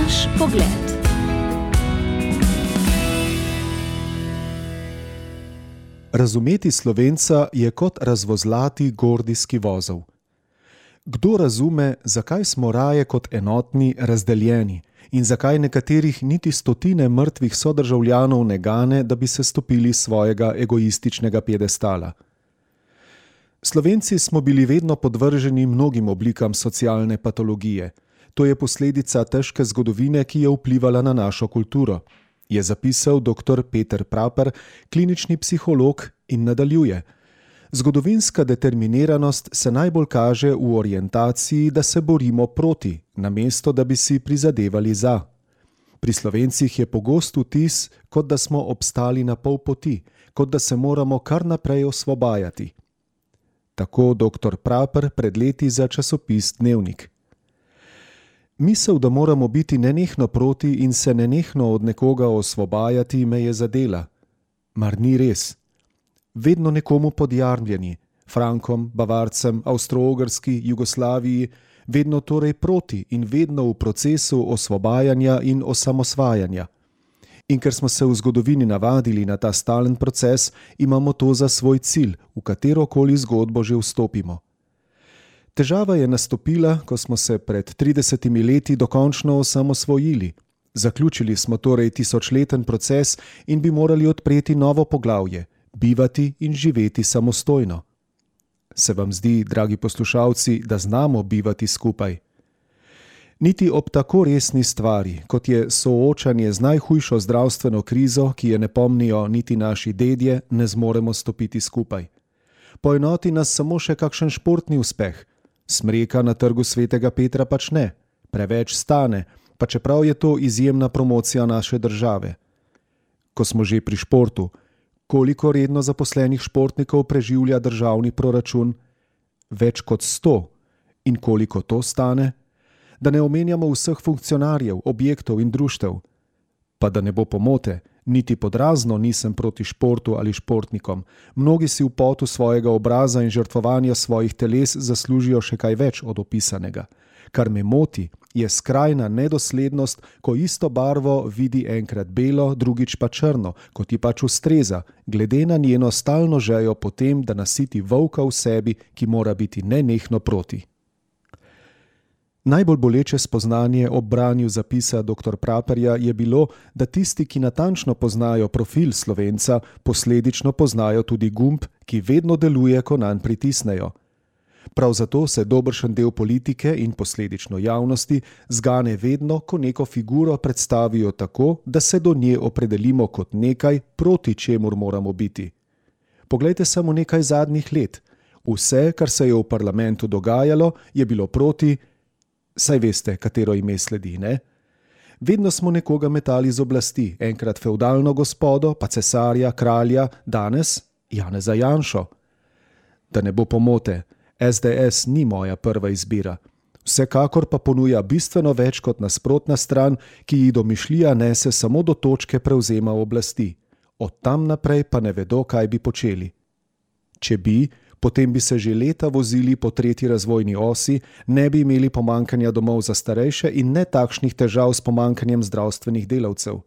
Naš pogled. Razumeti Slovenca je kot razvozlati gordijski vozel. Kdo razume, zakaj smo raje kot enotni razdeljeni in zakaj nekaterih niti stotine mrtvih sodržavljanov ne gane, da bi se stopili svojega egoističnega piedestala? Slovenci smo bili vedno podvrženi mnogim oblikam socialne patologije. To je posledica težke zgodovine, ki je vplivala na našo kulturo, je zapisal dr. Peter Praper, klinični psiholog, in nadaljuje. Zgodovinska determiniranost se najbolj kaže v orientaciji, da se borimo proti, namesto da bi si prizadevali za. Pri Slovencih je pogost vtis, kot da smo obstali na pol poti, kot da se moramo kar naprej osvobajati. Tako dr. Praper pred leti za časopis Dnevnik. Misel, da moramo biti nenehno proti in se nenehno od nekoga osvobajati, me je zadela. Mar ni res? Vedno nekomu podjarmljeni, Frankom, Bavarcem, Avstro-Ogrski, Jugoslaviji, vedno torej proti in vedno v procesu osvobajanja in osamosvajanja. In ker smo se v zgodovini navadili na ta stalen proces, imamo to za svoj cilj, v katerokoli zgodbo že vstopimo. Težava je nastopila, ko smo se pred 30 leti dokončno osamosvojili. Zaključili smo torej tisočleten proces in bi morali odpreti novo poglavje, bivati in živeti samostojno. Se vam zdi, dragi poslušalci, da znamo bivati skupaj? Niti ob tako resni stvari, kot je soočanje z najhujšo zdravstveno krizo, ki je ne pomnijo niti naši dedje, ne zmoremo stopiti skupaj. Poenoti nas samo še kakšen športni uspeh. Smreka na trgu Svetega Petra pač ne. Preveč stane, pa čeprav je to izjemna promocija naše države. Ko smo že pri športu, koliko redno zaposlenih športnikov preživlja državni proračun? Več kot 100. In koliko to stane? Da ne omenjamo vseh funkcionarjev, objektov in društev. Pa da ne bo pomote, niti podrazno nisem proti športu ali športnikom. Mnogi si v potu svojega obraza in žrtvovanja svojih teles zaslužijo še kaj več od opisanega. Kar me moti, je skrajna nedoslednost, ko isto barvo vidi enkrat belo, drugič pa črno, kot ji pač ustreza, glede na njeno stalno žejo po tem, da nasiti volka v sebi, ki mora biti nenehno proti. Najbolj boleče spoznanje ob branju zapisa dr. Praperja je bilo, da tisti, ki natančno poznajo profil Slovenca, posledično poznajo tudi gumb, ki vedno deluje, ko nanj pritisnejo. Prav zato se dobršen del politike in posledično javnosti zgane vedno, ko neko figuro predstavijo tako, da se do nje opredelimo kot nekaj, proti čemur moramo biti. Poglejte samo nekaj zadnjih let. Vse, kar se je v parlamentu dogajalo, je bilo proti. Saj veste, katero ime sledi, ne? Vedno smo nekoga metali z oblasti, enkrat fevdalno gospodo, pa cesarja, kralja, danes Janeza Janšo. Da ne bo pomote, SDS ni moja prva izbira. Vsekakor pa ponuja bistveno več kot nasprotna stran, ki ji domišljija nese samo do točke prevzema oblasti. Od tam naprej pa ne vedo, kaj bi počeli. Če bi, potem bi se že leta vozili po tretji razvojni osi, ne bi imeli pomanjkanja domov za starejše in ne takšnih težav s pomanjkanjem zdravstvenih delavcev.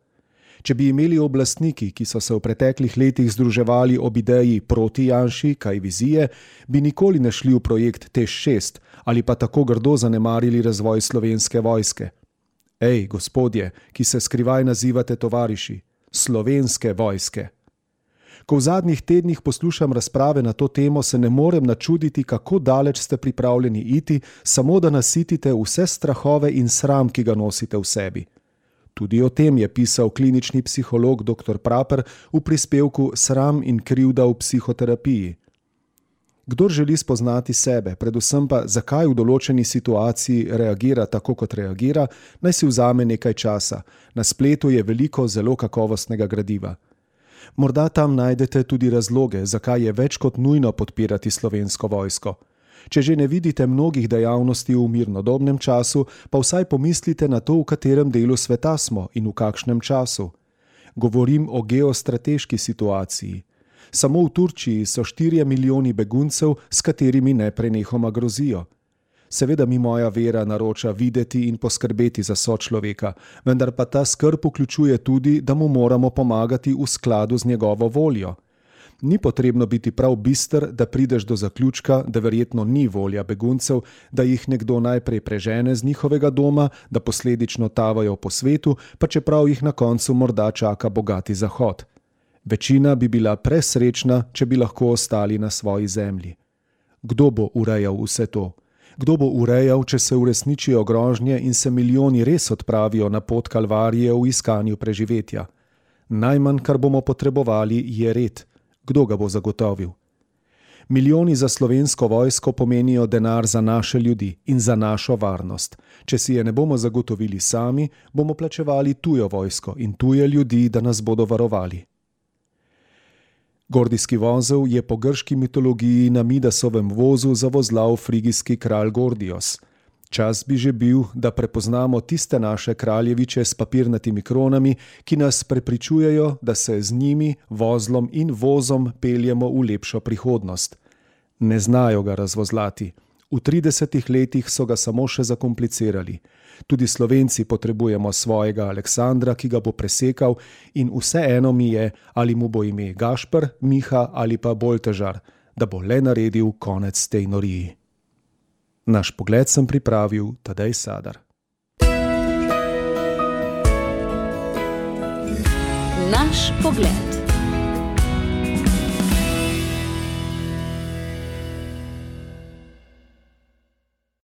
Če bi imeli oblastniki, ki so se v preteklih letih združevali ob ideji proti Janši, kaj vizije, bi nikoli ne šli v projekt TEŠ6 ali pa tako grdo zanemarili razvoj Slovenske vojske. Ej, gospodje, ki se skrivaj nazivate tovariši, Slovenske vojske. Ko v zadnjih tednih poslušam razprave na to temo, se ne morem načuditi, kako daleč ste pripravljeni iti, samo da nasitite vse strahove in sram, ki ga nosite v sebi. Tudi o tem je pisal klinični psiholog dr. Praper v prispevku Sram in krivda v psihoterapiji. Kdor želi spoznati sebe, predvsem pa zakaj v določeni situaciji reagira tako, kot reagira, naj si vzame nekaj časa. Na spletu je veliko zelo kakovostnega gradiva. Morda tam najdete tudi razloge, zakaj je več kot nujno podpirati Slovensko vojsko. Če že ne vidite mnogih dejavnosti v mirnodobnem času, pa vsaj pomislite na to, v katerem delu sveta smo in v kakšnem času. Govorim o geostrateški situaciji. Samo v Turčiji so 4 milijoni beguncev, s katerimi neprenehoma grozijo. Seveda mi moja vera naroča videti in poskrbeti za sočloveka, vendar pa ta skrb vključuje tudi, da mu moramo pomagati v skladu z njegovo voljo. Ni potrebno biti prav bister, da prideš do zaključka, da verjetno ni volja beguncev, da jih nekdo najprej prežene z njihovega doma, da posledično tavajo po svetu, pa čeprav jih na koncu morda čaka bogati zahod. Večina bi bila presrečna, če bi lahko ostali na svoji zemlji. Kdo bo urejal vse to? Kdo bo urejal, če se uresničijo grožnje in se milijoni res odpravijo na pot kalvarije v iskanju preživetja? Najmanj, kar bomo potrebovali, je red. Kdo ga bo zagotovil? Milijoni za slovensko vojsko pomenijo denar za naše ljudi in za našo varnost. Če si je ne bomo zagotovili sami, bomo plačevali tujo vojsko in tuje ljudi, da nas bodo varovali. Gordijski vozel je po grški mitologiji na Midasovem vozu zavozlal frigijski kralj Gordios. Čas bi že bil, da prepoznamo tiste naše kraljeviče s papirnatimi kronami, ki nas prepričujejo, da se z njimi, vozlom in vozom peljemo v lepšo prihodnost. Ne znajo ga razvozlati. V 30 letih so ga samo še zakomplicirali. Tudi Slovenci potrebujemo svojega Aleksandra, ki ga bo presekal, in vseeno mi je, ali mu bo ime Gašper, Miha ali pa Boltežar, da bo le naredil konec tej noriji. Naš pogled sem pripravil Tadej Sadar. Naš pogled.